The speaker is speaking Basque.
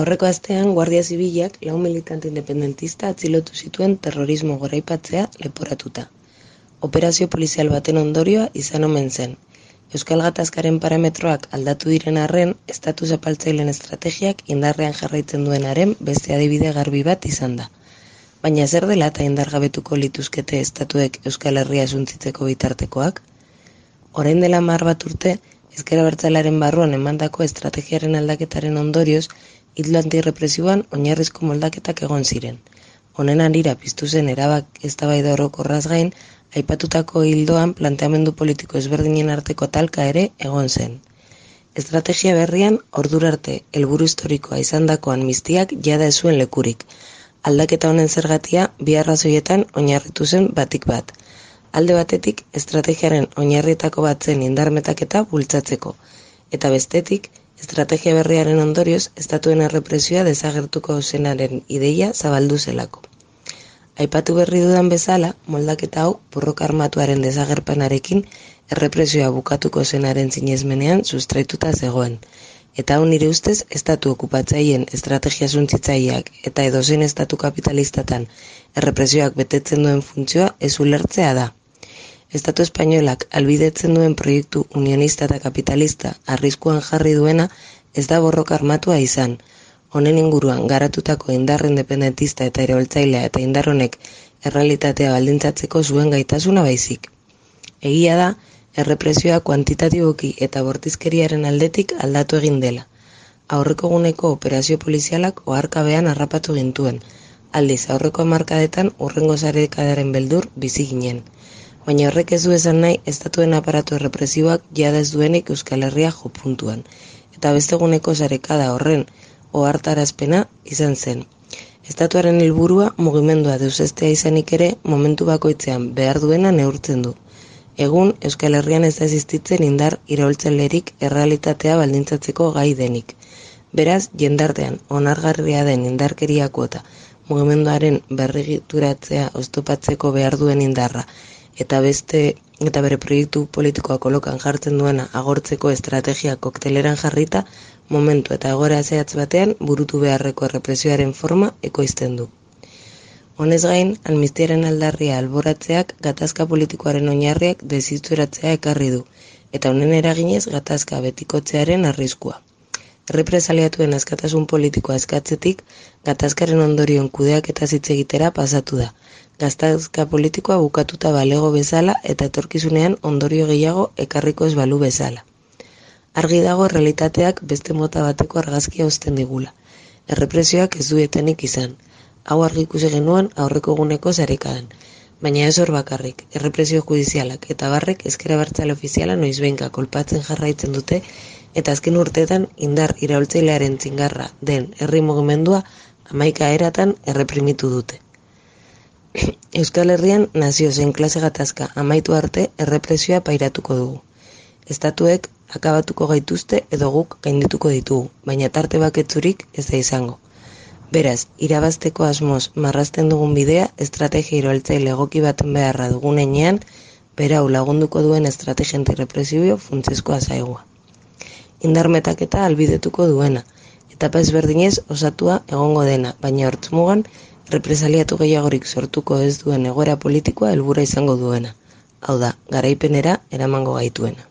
Aurreko astean, Guardia Zibilak 4 militante independentista atzilotu zituen terrorismo goraipatzea leporatuta. Operazio polizial baten ondorioa izan omen zen. Euskal Gatazkaren parametroak aldatu diren arren, estatu zapaltzaileen estrategiak indarrean jarraitzen duenaren beste adibide garbi bat izan da. Baina zer dela eta indargabetuko lituzkete estatuek Euskal Herria suntzitzeko bitartekoak? Orain dela 10 bat urte, ezker abertzalearen barruan emandako estrategiaren aldaketaren ondorioz, ildo antirrepresiboan oinarrizko moldaketak egon ziren. Honen harira piztu zen eztabaida orokorraz gain, aipatutako hildoan planteamendu politiko ezberdinen arteko talka ere egon zen. Estrategia berrian, ordura arte helburu historikoa izandako amnistiak jada ez zuen lekurik. Aldaketa honen zergatia bi arrazoietan oinarritu zen batik bat. Alde batetik, estrategiaren oinarrietako bat zen indarmetaketa bultzatzeko, eta bestetik, estrategia berriaren ondorioz, estatuen errepresioa desagertuko zenaren ideia zabaldu zelako. Aipatu berri dudan bezala, moldaketa hau borroka armatuaren desagerpenarekin errepresioa bukatuko zenaren sinesmenean sustraituta zegoen. Eta hau nire ustez, estatu okupatzaileen estrategia suntsitzaileak eta edozein estatu kapitalistatan errepresioak betetzen duen funtzioa ez ulertzea da. Estatu espainolak albidetzen duen proiektu unionista eta kapitalista arriskuan jarri duena ez da borroka armatua izan. Honen inguruan garatutako indar independentista eta iraultzailea eta indar honek errealitatea baldintzatzeko zuen gaitasuna baizik. Egia da, errepresioa kuantitatiboki eta bortizkeriaren aldetik aldatu egin dela. Aurreko eguneko operazio polizialak oharkabean harrapatu gintuen. Aldiz, aurreko hamarkadetan hurrengo sarekadaren beldur bizi ginen. Baina horrek ez du esan nahi estatuen aparatu errepresiboak jada ez duenik Euskal Herria jo puntuan. Eta beste eguneko sarekada horren ohartarazpena izan zen. Estatuaren helburua mugimendua deusestea izanik ere momentu bakoitzean behar duena neurtzen du. Egun, Euskal Herrian ez da existitzen indar iraultzailerik errealitatea baldintzatzeko gai denik. Beraz, jendartean onargarria den indarkeria kuota, mugimenduaren berregituratzea oztopatzeko behar duen indarra, eta bere proiektu politikoa kolokan jartzen duena agortzeko estrategia kokteleran jarrita, momentu eta egoera zehatz batean burutu beharreko errepresioaren forma ekoizten du. Honez gain, amnistiaren aldarria alboratzeak gatazka politikoaren oinarriak desituratzea ekarri du, eta honen eraginez gatazka betikotzearen arriskua. Errepresaliatuen askatasun politikoa eskatzetik, gatazkaren ondorioen kudeaketa hitz egitera pasatu da. Gatazka politikoa bukatuta balego bezala eta etorkizunean ondorio gehiago ekarriko ez balu bezala. Argi dago errealitateak beste mota bateko argazkia uzten digula. Errepresioak ez du etenik izan. Hau argi ikusi genuen aurreko eguneko sarekadan. Baina ez hor bakarrik, errepresio judizialak eta barrek ezker abertzale ofiziala noizbehinka kolpatzen jarraitzen dute eta azken urteetan indar iraultzailearen txingarra den herri mugimendua 11 eratan erreprimitu dute. Euskal Herrian nazio zein klase gatazka amaitu arte errepresioa pairatuko dugu. Estatuek akabatuko gaituzte edo guk gaindituko ditugu, baina tarte baketzurik ez da izango. Beraz, irabazteko asmoz marrazten dugun bidea estrategia iraultzaile egoki baten beharra dugun heinean, berau lagunduko duen estrategia antirrepresibio funtsezkoa zaigua. Indarmetaketa albidetuko duena, etapa ezberdinez osatua egongo dena, baina hortzmugan represaliatu gehiagorik sortuko ez duen egoera politikoa helburua izango duena. Hau da, garaipenera eramango gaituena.